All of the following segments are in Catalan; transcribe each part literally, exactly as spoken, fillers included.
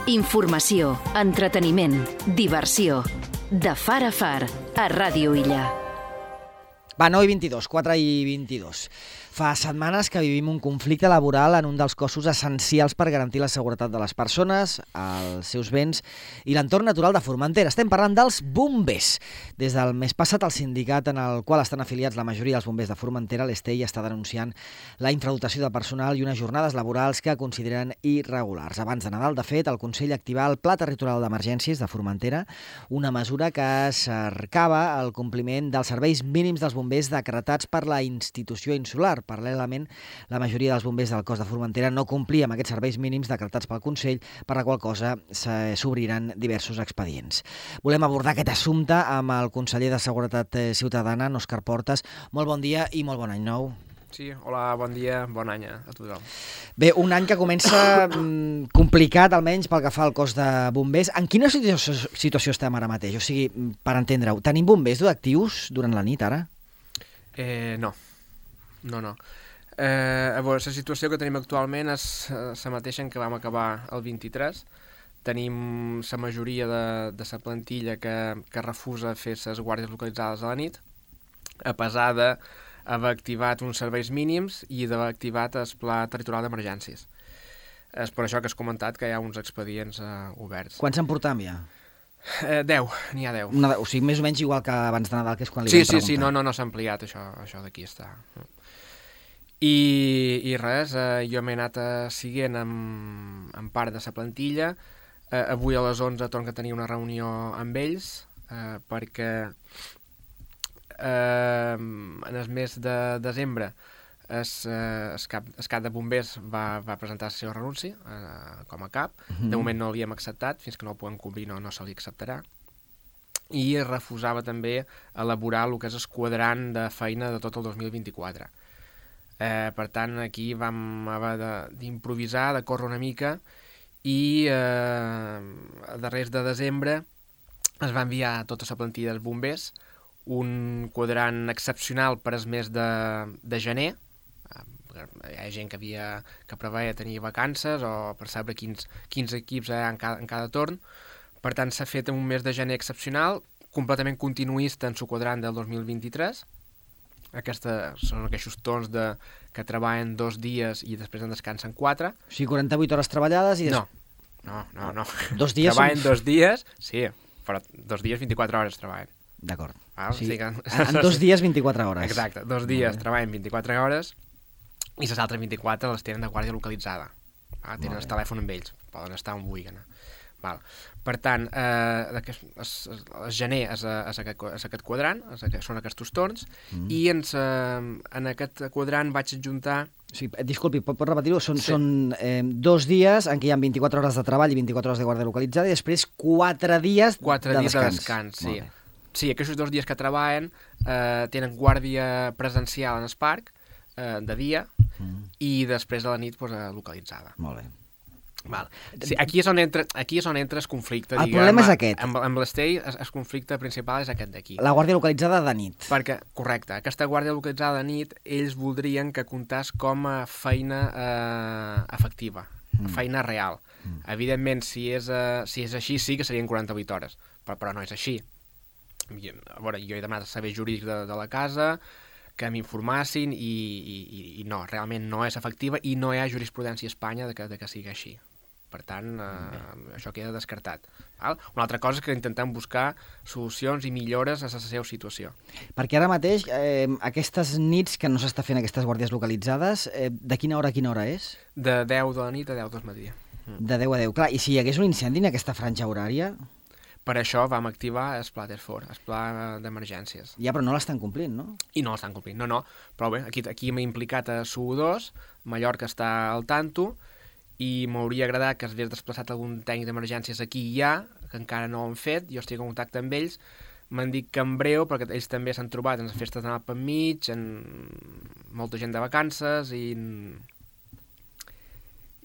Informació, entreteniment, diversió. De far a far, a Ràdio Illa. Va, nou i vint-i-dos, quatre i vint-i-dos. Fa setmanes que vivim un conflicte laboral en un dels cossos essencials per garantir la seguretat de les persones, els seus béns i l'entorn natural de Formentera. Estem parlant dels bombers. Des del mes passat, el sindicat en el qual estan afiliats la majoria dels bombers de Formentera, l'Estei, està denunciant la infradotació de personal i unes jornades laborals que consideren irregulars. Abans de Nadal, de fet, el Consell activà el Pla Territorial d'Emergències de Formentera, una mesura que cercava el compliment dels serveis mínims dels bombers decretats per la institució insular. Paral·lelament, la majoria dels bombers del cos de Formentera no complia amb aquests serveis mínims decretats pel Consell, per la qual cosa s'obriran diversos expedients. Volem abordar aquest assumpte amb el conseller de Seguretat Ciutadana, Òscar Portas. Molt bon dia i molt bon any nou. Sí, hola, bon dia, bon any a tothom. Bé, un any que comença complicat, almenys pel que fa al cos de bombers. En quina situació, situació estem ara mateix? O sigui, per entendre-ho, tenim bombers actius durant la nit ara? Eh, no. No, no. Eh, a veure, la situació que tenim actualment és la mateixa en què vam acabar el vint-i-tres. Tenim la majoria de, de la plantilla que, que refusa fer les guàrdies localitzades a la nit, a pesar d'haver activat uns serveis mínims i d'haver activat el Pla Territorial d'Emergències. És per això que has comentat que hi ha uns expedients eh, oberts. Quants en portam ja? Eh, deu, n'hi ha deu. Una, o sigui, més o menys igual que abans de Nadal, que és quan li sí, vam preguntar. Sí, sí, no, no, no s'ha ampliat, això, això d'aquí està. I, i res, eh, jo m'he anat eh, siguent amb, amb part de la plantilla. Eh, avui a les onze torno a tenir una reunió amb ells, eh, perquè eh, en el mes de desembre el, eh, el, cap, el cap de bombers va, va presentar la seva renúncia eh, com a cap. Uh-huh. De moment no l'hi hem acceptat, fins que no el puguem complir no, no se li acceptarà. I refusava també elaborar el que és el quadrant de feina de tot el dos mil vint-i-quatre. Eh, per tant, aquí vam haver d'improvisar, de, de córrer una mica, i eh, a darrers de desembre es va enviar a tota la plantilla dels bombers un quadrant excepcional per al mes de, de gener. Hi ha gent que, havia, que preveia tenir vacances o per saber quins, quins equips hi ha en cada, en cada torn. Per tant, s'ha fet un mes de gener excepcional, completament continuista en el quadrant del dos mil vint-i-tres. Aquesta, són aquests torns de, que treballen dos dies i després en descansen quatre. O sigui, quaranta-vuit hores treballades i... Des... No, no, no. no. Dos dies... Treballen són... dos dies, sí, però dos dies vint-i-quatre hores treballen. D'acord. Ah, o sigui, sí que... en dos dies vint-i-quatre hores. Exacte, dos dies treballen vint-i-quatre hores i les altres vint-i-quatre les tenen de guàrdia localitzada. Ah, tenen el telèfon amb ells, poden estar on vulguin. Val. Per tant, eh, el gener és, és, aquest, és aquest quadrant, és aquest, són aquests torns, mm. i ens, eh, en aquest quadrant vaig adjuntar... Sí, disculpi, pot, pot repetir-ho? Són, sí. són eh, dos dies en què hi ha vint-i-quatre hores de treball i vint-i-quatre hores de guàrdia localitzada i després quatre dies quatre de dies descans. de descans, sí. Sí, aquests dos dies que treballen eh, tenen guàrdia presencial en el parc, eh, de dia, mm. i després de la nit pues, eh, localitzada. Molt bé. Val. Sí, aquí és on entra, aquí és on entra el conflicte. El diguem, problema és aquest. Amb, amb l'Estei, el, el conflicte principal és aquest d'aquí. La guàrdia localitzada de nit. Perquè, correcte, aquesta guàrdia localitzada de nit, ells voldrien que comptàs com a feina eh, efectiva, mm. feina real. Mm. Evidentment, si és, eh, si és així, sí que serien quaranta-vuit hores, però, però no és així. A veure, jo he demanat serveis jurídics de, de la casa, que m'informassin i, i, i no, realment no és efectiva i no hi ha jurisprudència a Espanya de que, de que sigui així. Per tant, eh, això queda descartat. Val? Una altra cosa és que intentem buscar solucions i millores a la seva situació. Perquè ara mateix, eh, aquestes nits que no s'està fent aquestes guàrdies localitzades, eh, de quina hora a quina hora és? De deu de la nit a deu del matí. Mm. De deu a deu. Clar, i si hi hagués un incendi en aquesta franja horària... Per això vam activar el Pla Terfor, el Pla d'Emergències. Ja, però no l'estan complint, no? I no l'estan complint, no, no. Però bé, aquí, aquí m'he implicat a S U dos, Mallorca està al tanto, i m'hauria agradat que s'hagués desplaçat algun tècnic d'emergències aquí ja, que encara no ho han fet, jo estic en contacte amb ells, m'han dit que en breu, perquè ells també s'han trobat en les festes de Nadal per mig, en molta gent de vacances, i...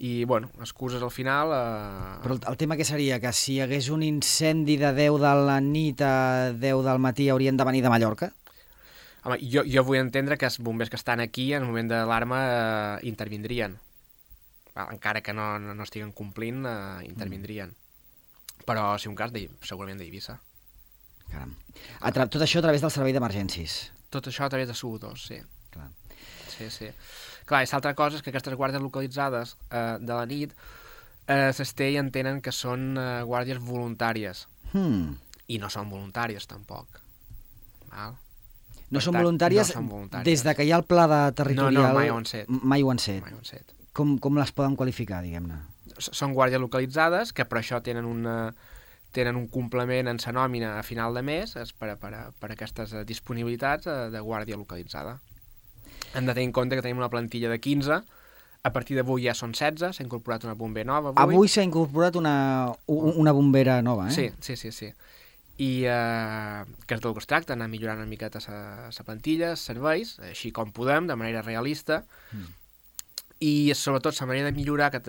i, bueno, excuses al final... Eh... Però el, el tema que seria que si hi hagués un incendi de deu de la nit a deu del matí haurien de venir de Mallorca? Home, jo, jo vull entendre que els bombers que estan aquí, en el moment de l'alarma, eh, intervindrien. encara que no, no, no estiguen complint, eh, intervindrien. Mm. Però, si un cas, segurament d'Eivissa. Caram. A tra... Tot això a través del servei d'emergències. Tot això a través de S U dos, sí. Clar. Sí, sí. Clar, i l'altra cosa és que aquestes guàrdies localitzades eh, de la nit, eh, s'estei entenen que són eh, guàrdies voluntàries. Hmm. I no són voluntàries, tampoc. Val? No són, voluntàries, no són voluntàries des de que hi ha el pla de territorial... No, no, mai ho han set. Mai ho han set. Mai ho han set. Com, com les poden qualificar, diguem-ne? Són guàrdies localitzades, que per això tenen una... tenen un complement en sa nòmina a final de mes és per, a, per, a, per a aquestes disponibilitats de guàrdia localitzada. Hem de tenir en compte que tenim una plantilla de quinze, a partir d'avui ja són setze, s'ha incorporat una bombera nova. Avui, avui s'ha incorporat una, una bombera nova, eh? Sí, sí, sí. sí. I eh, que és del que es tracta, anar millorant una miqueta la plantilla, serveis, així com podem, de manera realista, mm. i sobretot la manera de millorar que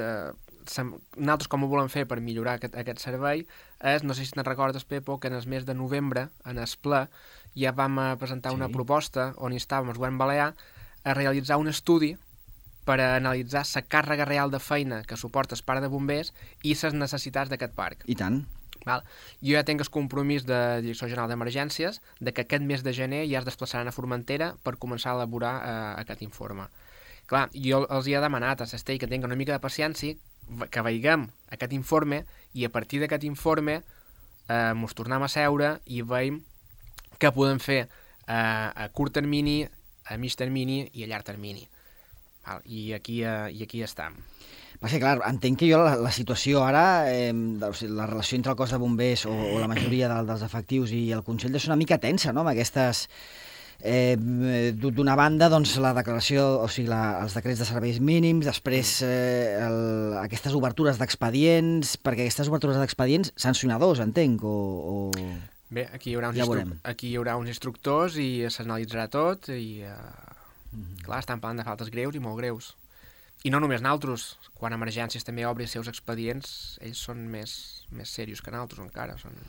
nosaltres com ho volem fer per millorar aquest, aquest servei és, no sé si te'n recordes, Pepo, que en el mes de novembre, en el ple, ja vam presentar sí. una proposta on instàvem el govern balear a realitzar un estudi per a analitzar la càrrega real de feina que suporta el parc de bombers i les necessitats d'aquest parc. I tant. Val? Jo ja tinc el compromís de Direcció General d'Emergències de que aquest mes de gener ja es desplaçaran a Formentera per començar a elaborar eh, aquest informe. Clar, jo els hi he demanat a Sestell que tinguin una mica de paciència, que veiguem aquest informe i a partir d'aquest informe eh, ens tornem a seure i veiem què podem fer eh, a curt termini, a mig termini i a llarg termini. Val? I aquí, eh, i aquí estem. Va ser clar, entenc que jo la, la situació ara, eh, o sigui, la relació entre el cos de bombers o, o la majoria de, dels efectius i el Consell és una mica tensa, no?, amb aquestes... Eh, d'una banda, doncs, la declaració, o sigui, la, els decrets de serveis mínims, després eh, el, aquestes obertures d'expedients, perquè aquestes obertures d'expedients, sancionadors, entenc, o... o... Bé, aquí hi haurà uns, ja instru... aquí hi haurà uns instructors i s'analitzarà tot i, uh, mm-hmm. clar, estan parlant de faltes greus i molt greus. I no només naltros, quan emergències també obri els seus expedients, ells són més, més serios que naltros encara, són...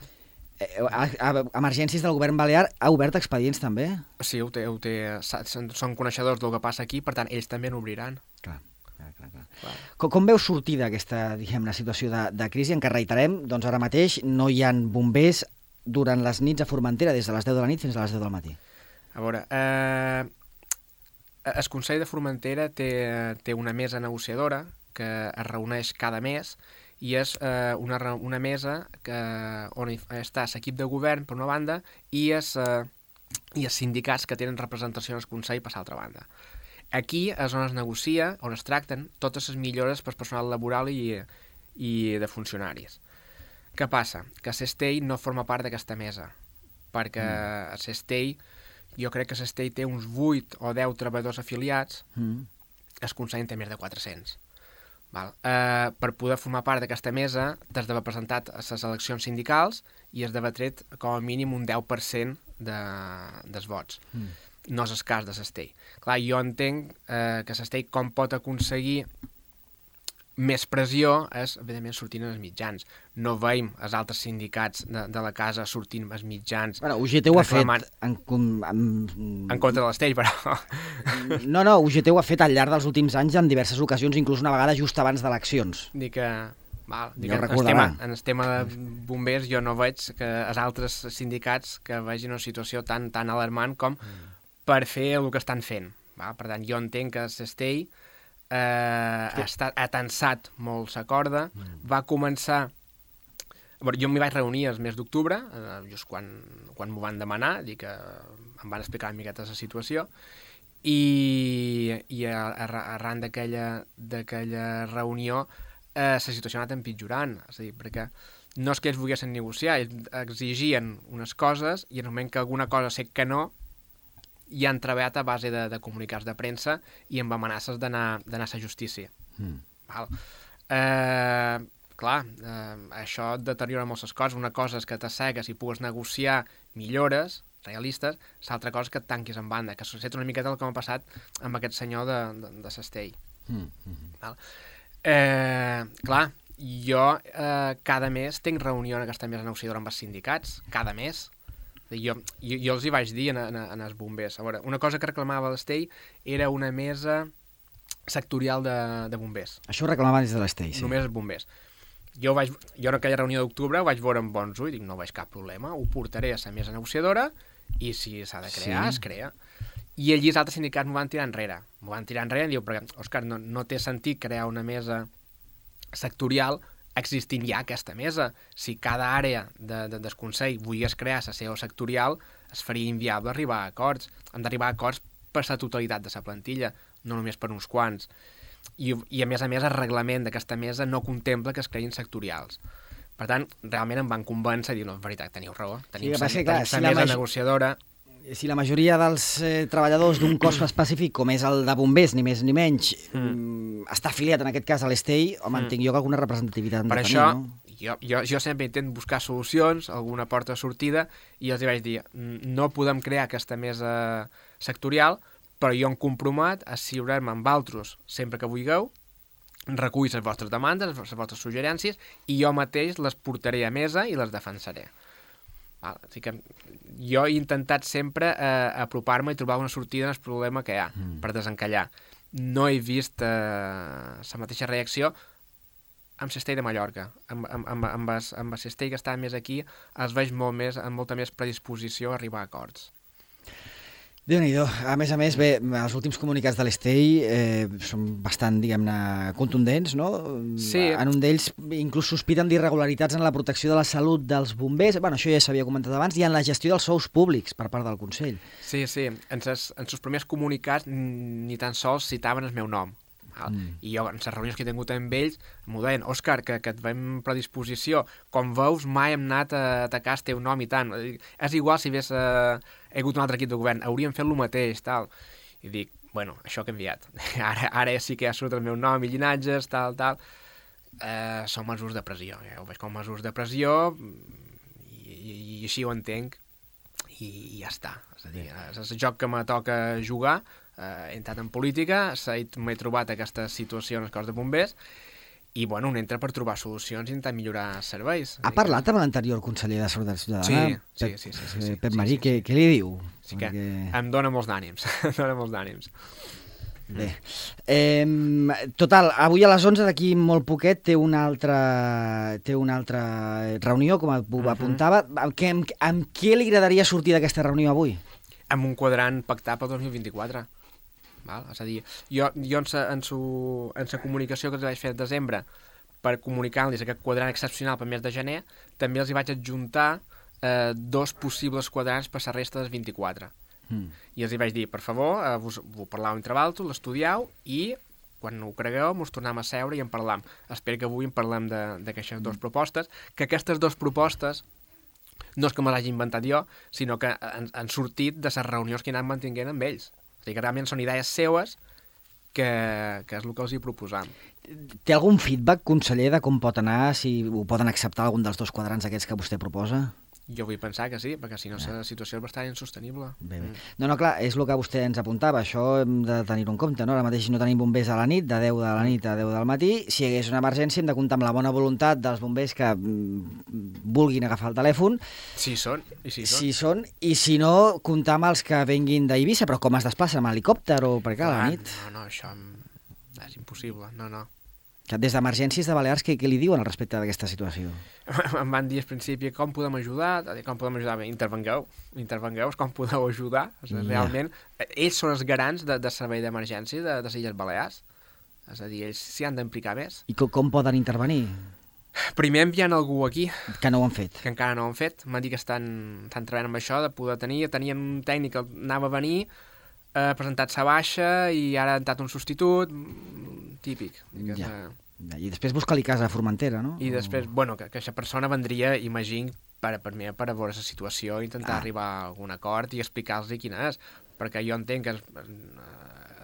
A, a, emergències del govern balear ha obert expedients també? Sí, ho té, ho té, són coneixedors del que passa aquí, per tant, ells també n'obriran. Clar, clar, clar. clar. clar. Com, com veus sortir d'aquesta, diguem-ne, situació de, de crisi en què reiterem, doncs ara mateix no hi ha bombers durant les nits a Formentera, des de les deu de la nit fins a les deu del matí? A veure, eh, el Consell de Formentera té, té una mesa negociadora que es reuneix cada mes i és eh, una, una mesa que, on està l'equip de govern, per una banda, i els, eh, i els sindicats que tenen representació en el Consell per l'altra banda. Aquí és on es negocia, on es tracten totes les millores per personal laboral i, i de funcionaris. Què passa? Que Sestell no forma part d'aquesta mesa, perquè mm. a Sestell, jo crec que Sestell té uns vuit o deu treballadors afiliats, mm. el Consell en té més de quatre-cents. Val. Eh, per poder formar part d'aquesta mesa t'has d'haver presentat a les eleccions sindicals i has d'haver tret com a mínim un deu per cent de, dels vots. Mm. No és el cas de Sestell. Clar, jo entenc eh, que Sestell com pot aconseguir més pressió és, evidentment, sortint en els mitjans. No veiem els altres sindicats de, de la casa sortint als mitjans. Bueno, U G T ho ha fet en, en, en... en contra de l'Estell, però... No, no, U G T ho ha fet al llarg dels últims anys en diverses ocasions, inclús una vegada just abans d'eleccions. Dic que... Val, dic, en, el tema, en el tema de bombers jo no veig que els altres sindicats que vegin una situació tan, tan alarmant com per fer el que estan fent. Val? Per tant, jo entenc que l'Estell eh, ha, estat, ha tensat molt la corda, mm. va començar... Bueno, jo m'hi vaig reunir el mes d'octubre, eh, just quan, quan m'ho van demanar, dir que em van explicar una miqueta la situació, i, i arran d'aquella reunió eh, la situació ha anat empitjorant, és a dir, perquè no és que ells volguessin negociar, ells exigien unes coses i en el moment que alguna cosa sé que no, ja han treballat a base de, de comunicats de premsa i amb amenaces d'anar a la justícia. Mm. Val. Eh, clar, eh, això deteriora moltes coses. Una cosa és que t'assegues i pugues negociar millores realistes, l'altra cosa és que et tanquis en banda, que succeeix una miqueta el que m'ha passat amb aquest senyor de, de, de Sestell. Mm. Mm-hmm. Val. Eh, clar, jo eh, cada mes tinc reunió en aquesta mesa negociadora amb els sindicats, cada mes. Jo, jo, jo els hi vaig dir en, en, en els bombers. A veure, una cosa que reclamava l'Estell era una mesa sectorial de, de bombers. Això ho reclamaven des de l'Estei, sí. Només bombers. Jo, vaig, jo en aquella reunió d'octubre ho vaig veure amb bons ulls i dic, no veig cap problema, ho portaré a la mesa negociadora i si s'ha de crear, sí. es crea. I allí els altres sindicats m'ho van tirar enrere. M'ho van tirar enrere i diu, perquè, Òscar, no, no té sentit crear una mesa sectorial existint ja aquesta mesa. Si cada àrea de, de, del Consell volgués crear la seva sectorial, es faria inviable arribar a acords. Hem d'arribar a acords per la totalitat de la plantilla, no només per uns quants. I, i a més a més el reglament d'aquesta mesa no contempla que es creïn sectorials. Per tant, realment em van convèncer i dir, no, en veritat, teniu raó, tenim la sí, si mesa maj... negociadora. Si la majoria dels eh, treballadors d'un cos específic, com és el de bombers, ni més ni menys, mm. està afiliat en aquest cas a l'Estei, home, mm. entenc jo que alguna representativitat per això, tenir, no? jo, jo, jo sempre intent buscar solucions, alguna porta de sortida, i els vaig dir, no podem crear aquesta mesa sectorial, però jo em compromet a asseurar-me amb altres sempre que vulgueu, recull les vostres demandes, les vostres suggerències, i jo mateix les portaré a mesa i les defensaré. Val? O sigui que jo he intentat sempre eh, apropar-me i trobar una sortida al problema que hi ha, mm. per desencallar. No he vist eh, la mateixa reacció amb l'Estei de Mallorca. Amb, amb, amb, amb, es, amb l'Estei que està més aquí, els veig molt més, amb molta més predisposició a arribar a acords. Déu-n'hi-do. A més a més, bé, els últims comunicats de l'Estei eh, són bastant, diguem-ne, contundents, no? Sí. En un d'ells inclús sospiten d'irregularitats en la protecció de la salut dels bombers, bueno, això ja s'havia comentat abans, i en la gestió dels sous públics per part del Consell. Sí, sí. En els seus primers comunicats ni tan sols citaven el meu nom. Mm. I jo, en les reunions que he tingut amb ells, m'ho deien, Òscar, que, que et veiem predisposició, com veus, mai hem anat a atacar el teu nom i tant. És igual si hagués eh, hagut un altre equip de govern, hauríem fet el mateix, tal. I dic, bueno, això ha canviat. Ara, ara sí que ja surt el meu nom i llinatges, tal, tal. Eh, són mesures de pressió. Ja ho veig com mesures de pressió i, i, i així ho entenc i, i ja està. És a dir, és el joc que me toca jugar. Uh, he entrat en política, m'he trobat aquesta situació en el cos de bombers i, bueno, un entra per trobar solucions i intentar millorar els serveis. Ha parlat amb l'anterior conseller de Seguretat Ciutadana? Sí, sí, sí. sí, sí, sí Pep sí, Marí, sí, què, sí. què li diu? Sí que Perquè... em dóna molts d'ànims, em dóna molts d'ànims. Bé, eh, total, avui a les onze, d'aquí molt poquet, té una altra, té una altra reunió, com apuntava. Uh-huh. Amb, què, amb, amb què li agradaria sortir d'aquesta reunió avui? Amb un quadrant pactat pel dos mil vint-i-quatre. Val? És a dir, jo, jo en sa, en, su, en sa comunicació que els vaig fer al desembre per comunicar-los aquest quadrant excepcional per mes de gener, també els hi vaig adjuntar eh, dos possibles quadrants per la resta dels vint-i-quatre. Mm. I els hi vaig dir, per favor, eh, vos, vos parlau entre valtos, l'estudiau i quan ho cregueu mos tornem a seure i en parlam. Espero que avui en parlem d'aquestes mm. dues propostes, que aquestes dues propostes no és que me l'hagi inventat jo, sinó que han, han sortit de les reunions que he anat mantinguent amb ells. O sigui que realment són idees seues que, que és el que els hi proposam. Té algun feedback, conseller, de com pot anar, si ho poden acceptar algun dels dos quadrants aquests que vostè proposa? Jo vull pensar que sí, perquè si no la situació és bastant insostenible. Bé, bé. No, no, clar, és el que vostè ens apuntava, això hem de tenir-ho en compte, no? Ara mateix no tenim bombers a la nit, de deu de la nit a deu del matí, si hi hagués una emergència hem de comptar amb la bona voluntat dels bombers que mm, vulguin agafar el telèfon. Sí són, i sí són. Sí són, i si no, comptar amb els que venguin d'Eivissa, però com es desplacen, amb helicòpter o per què a la nit? No, no, això és impossible, no, no. Des d'Emergències de Balears, què, què li diuen al respecte d'aquesta situació? Em van dir al principi com podem ajudar, com podem ajudar, bé, intervengueu, intervengueu, com podeu ajudar. O sigui, realment, ja. Ells són els garants de, de servei d'emergència de, de les Illes Balears. És a dir, ells s'hi han d'implicar més. I com, com poden intervenir? Primer enviant algú aquí. Que no ho han fet. Que encara no ho han fet. M'han dit que estan, estan treballant amb això, de poder tenir. Tenien un tècnic que anava a venir, ha presentat sa baixa i ara ha entrat un substitut, típic. Ja. És, I després buscar-li casa a Formentera, no? I després, o... bueno, que aquesta persona vendria, imagino, per, per, mi, per a veure la situació, intentar ah. arribar a algun acord i explicar-los quina és, perquè jo entenc que en,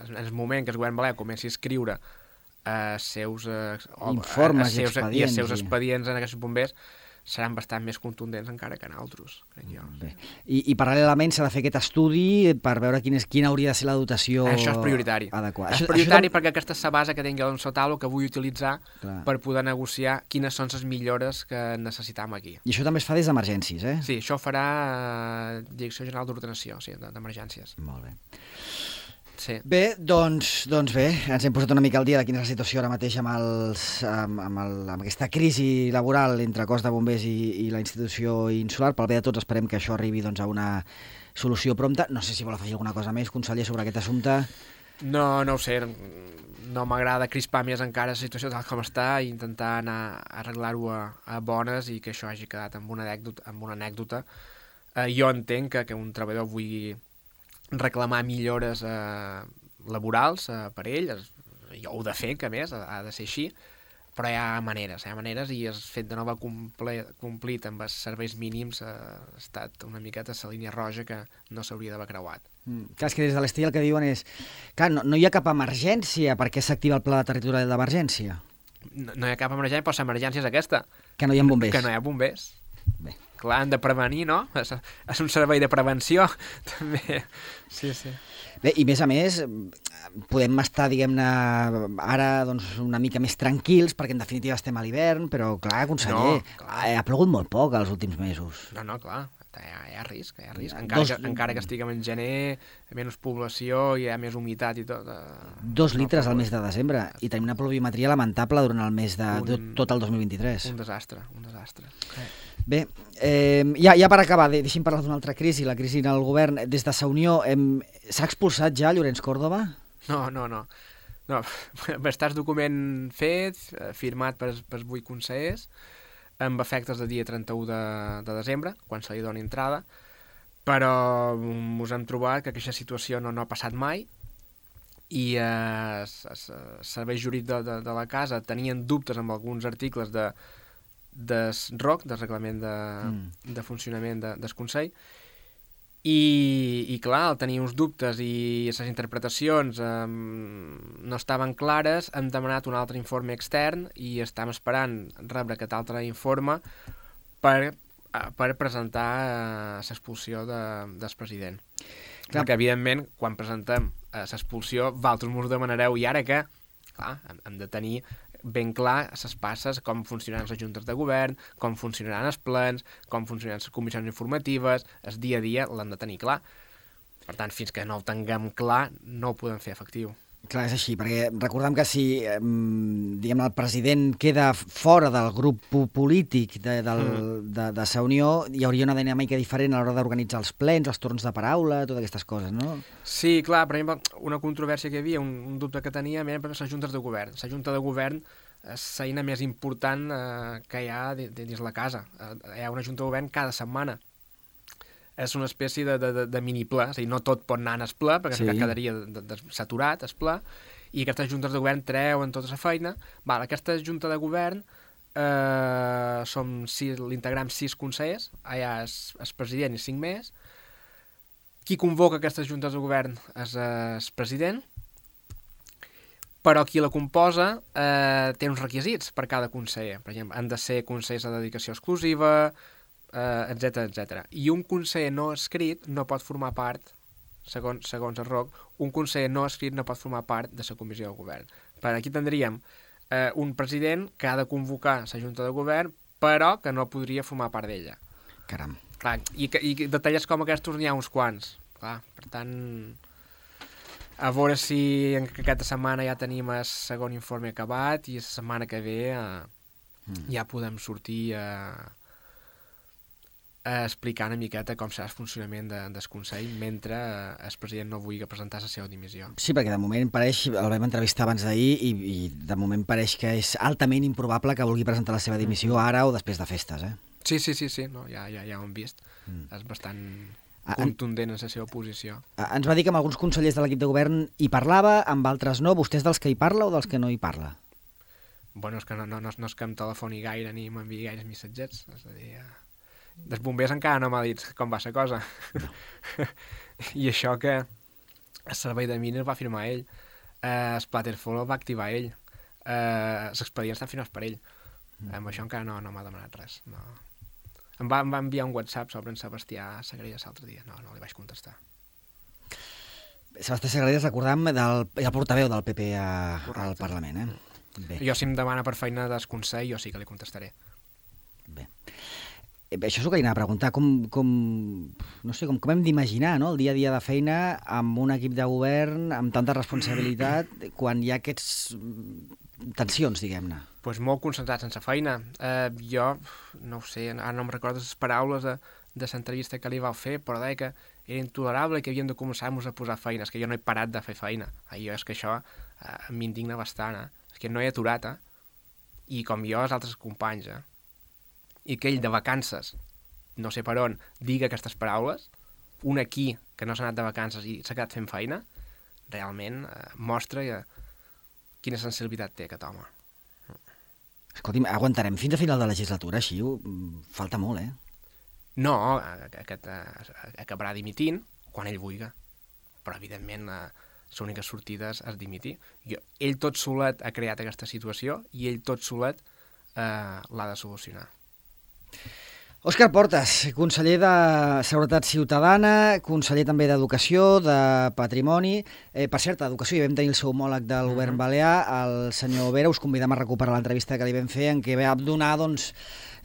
en el moment que el govern balear comenci a escriure eh, seus, eh, informes a, a seus, i expedients, i els seus i... expedients en aquests bombers, seran bastant més contundents encara que en altres, crec jo. Bé. I, I paral·lelament s'ha de fer aquest estudi per veure quin és, quina hauria de ser la dotació això és prioritari. Adequada. És això, prioritari això... perquè aquesta és la base que tinc jo en la taula que vull utilitzar Clar. Per poder negociar quines són les millores que necessitam aquí. I això també es fa des d'emergències, eh? Sí, això ho farà eh, Direcció General d'Ordenació, sí, d'Emergències. Molt bé. Sí. Bé, doncs, doncs bé, ens hem posat una mica al dia de quina és la situació ara mateix amb, els, amb, amb, el, amb aquesta crisi laboral entre cos de bombers i, i la institució insular. Pel bé de tots esperem que això arribi doncs, a una solució prompta. No sé si vol afegir alguna cosa més, conseller, sobre aquest assumpte. No, no ho sé, no m'agrada crispar més encara la situació tal com està i intentar anar a arreglar-ho a, a bones i que això hagi quedat amb una anècdota. Amb una anècdota. Eh, jo entenc que, que un treballador vulgui reclamar millores eh, laborals eh, per ell, es, jo ho he de fer, que a més, ha, ha de ser així, però hi ha maneres, hi ha maneres i el fet de no haver comple, complit amb els serveis mínims eh, ha estat una miqueta la línia roja que no s'hauria d'haver creuat. Mm. Clar, és que des de l'Estella el que diuen és clar, no, no hi ha cap emergència perquè s'activa el pla territorial d'emergència. No, no hi ha cap emergència, però l'emergència és aquesta. Que no hi ha bombers. Que no hi ha bombers. Bé. Clar, han de prevenir, no? És, és un servei de prevenció, també. Sí, sí. Bé, i més a més, podem estar, diguem-ne, ara doncs, una mica més tranquils, perquè en definitiva estem a l'hivern, però clar, conseller, No, clar. ha plogut molt poc els últims mesos. No, no, clar, hi ha, hi ha risc, hi ha risc. Encara, Dos- que, encara que estiguem en gener, menys població, hi ha més humitat i tot. Eh, Dos no, litres però al mes de desembre i tenim una pluviometria lamentable durant el mes de, de Un- tot el dos mil vint-i-tres. Un desastre, un desastre. Bé, eh, ja, ja per acabar, de- deixi'm parlar d'una altra crisi, la crisi en el govern. Des de Sa Unió, hem- s'ha expulsat ja Llorenç Córdoba? No, no, no. no. Està el document fet, eh, firmat per, per vuit consellers, amb efectes de dia trenta-u de, de desembre, quan se li doni entrada, però mm, us hem trobat que aquesta situació no, no ha passat mai i eh, els serveis jurídics de, de, de la casa tenien dubtes amb alguns articles de del R O C, del reglament de, Mm. de funcionament de, del Consell, i, i clar, al tenir uns dubtes i les interpretacions eh, no estaven clares, hem demanat un altre informe extern i estem esperant rebre aquest altre informe per, eh, per presentar eh, l'expulsió de, del president. Clar. Perquè, evidentment, quan presentem eh, l'expulsió, vosaltres m'ho demanareu, i ara què? Clar, hem, hem de tenir ben clar les passes, com funcionaran les juntes de govern, com funcionaran els plens, com funcionaran les comissions informatives, el dia a dia l'hem de tenir clar. Per tant, fins que no ho tinguem clar, no ho podem fer efectiu. Clar, és així, perquè recordem que si eh, diguem, el president queda fora del grup po- polític de, del, Mm. de, de Sa Unió, hi hauria una dinàmica diferent a l'hora d'organitzar els plens, els torns de paraula, totes aquestes coses, no? Sí, clar, per exemple, una controvèrsia que hi havia, un, un dubte que teníem era per les juntes de govern. La junta de govern és l'eina més important eh, que hi ha de, de, dins la casa. Eh, hi ha una junta de govern cada setmana. És una espècie de, de, de, de mini-ple, és a dir, no tot pot anar en el ple, perquè Sí. sí. quedaria de, de, saturat, el ple, i aquestes juntes de govern treuen tota la feina. Val, aquesta junta de govern eh, som sis, l'integram sis consellers, allà és el president i cinc més. Qui convoca aquestes juntes de govern és el president, però qui la composa eh, té uns requisits per cada conseller. Per exemple, han de ser consellers de dedicació exclusiva, eh, etcètera, etcètera. I un conseller no escrit no pot formar part, segons, segons el R O C, un conseller no escrit no pot formar part de la comissió de govern. Per aquí tindríem eh, un president que ha de convocar la junta de govern, però que no podria formar part d'ella. Caram. Clar, i, que- i detalls com aquests n'hi ha uns quants. Clar, per tant, a veure si en aquesta setmana ja tenim el segon informe acabat i la setmana que ve eh, Mm. ja podem sortir a, a explicar una miqueta com serà el funcionament de, del Consell mentre eh, el president no vulgui presentar la seva dimissió. Sí, perquè de moment pareix, el vam entrevistar abans d'ahir i, i de moment pareix que és altament improbable que vulgui presentar la seva dimissió ara o després de festes, eh? Sí, sí, sí, sí, no, ja, ja, ja ho hem vist. Mm. És bastant Ah, en- contundent en la seva posició. Eh, Ens va dir que amb alguns consellers de l'equip de govern hi parlava, amb altres no. Vostè és dels que hi parla o dels que no hi parla? Bueno, és que no, no, no, no és que em telefoni gaire ni m'enviï gaires missatgets, és a dir, eh, dels bombers encara no m'ha dit com va la cosa. No. I això que el servei de mines va firmar ell, eh, el Splatterfall el va activar ell, eh, els expedients estan firmats per ell. Mm. Amb això encara no, no m'ha demanat res. No. Em, va, em va enviar un WhatsApp sobre en Sebastià Sagrelles l'altre dia, no, no li vaig contestar. Sebastià Sagrades, recordam, del, el portaveu del P P a, al Correcte. Parlament, eh? Bé. Jo si em demana per feina del Consell, jo sí que li contestaré. Bé. això és el que li anava a preguntar, com, com, no sé, com, com hem d'imaginar, no?, el dia a dia de feina amb un equip de govern, amb tanta responsabilitat, quan hi ha aquests tensions, diguem-ne. Pues molt concentrats sense feina. Eh, jo, no ho sé, ara no em recordo les paraules de, de l'entrevista que li vau fer, però deia que era intolerable i que havíem de començar-nos a posar feines, que jo no he parat de fer feina. Eh, jo és que això eh, m'indigna bastant, eh? És que no he aturat, eh? I com jo, els altres companys, eh? I que ell de vacances, no sé per on, diga aquestes paraules, un aquí que no s'ha anat de vacances i s'ha quedat fent feina, realment eh, mostra eh, quina sensibilitat té aquest home. Escolti'm, aguantarem fins a final de legislatura, així falta molt, eh? No, aquest eh, acabarà dimitint quan ell vulgui, però evidentment eh, l'única sortida és dimitir. Jo, ell tot solet ha creat aquesta situació i ell tot solet eh, l'ha de solucionar. Òscar Portas, conseller de Seguretat Ciutadana, conseller també d'Educació, de Patrimoni. Eh, per cert, d'Educació hi vam tenir el seu homòleg del govern uh-huh. balear, el senyor Vera. Us convidem a recuperar l'entrevista que li vam fer, en què va donar doncs,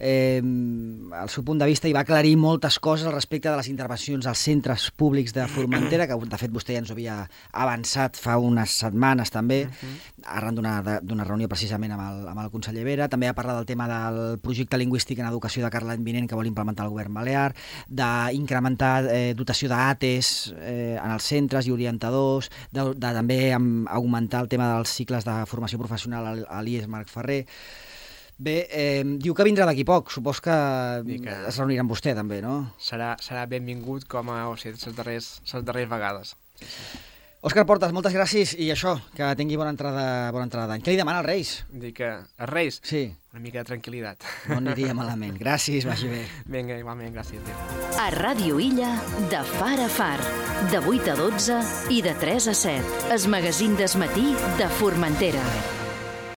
eh, el seu punt de vista i va aclarir moltes coses respecte de les intervencions als centres públics de Formentera, que de fet vostè ja ens havia avançat fa unes setmanes també, uh-huh. arran d'una reunió precisament amb el, amb el conseller Vera. També va parlar del tema del projecte lingüístic en educació de cara a l'any vinent que vol implementar el govern balear, d'incrementar eh, dotació d'A T E S eh, en els centres i orientadors, de, de també amb, augmentar el tema dels cicles de formació professional a l'I E S Marc Ferrer. Bé, eh, diu que vindrà d'aquí poc, supos que, que es reunirà amb vostè també, no? Serà, serà benvingut com a o sigui, les darreres, les darreres vegades. Òscar Portas, moltes gràcies i això, que tingui bona entrada bona entrada d'any. Què li demana als Reis? Dic que als Reis? Sí. Una mica de tranquil·litat. No aniria malament. Gràcies, vagi bé. Vinga, igualment, gràcies. A Ràdio Illa, de far a far, de vuit a dotze i de tres a set. El magazín d'esmatí de Formentera.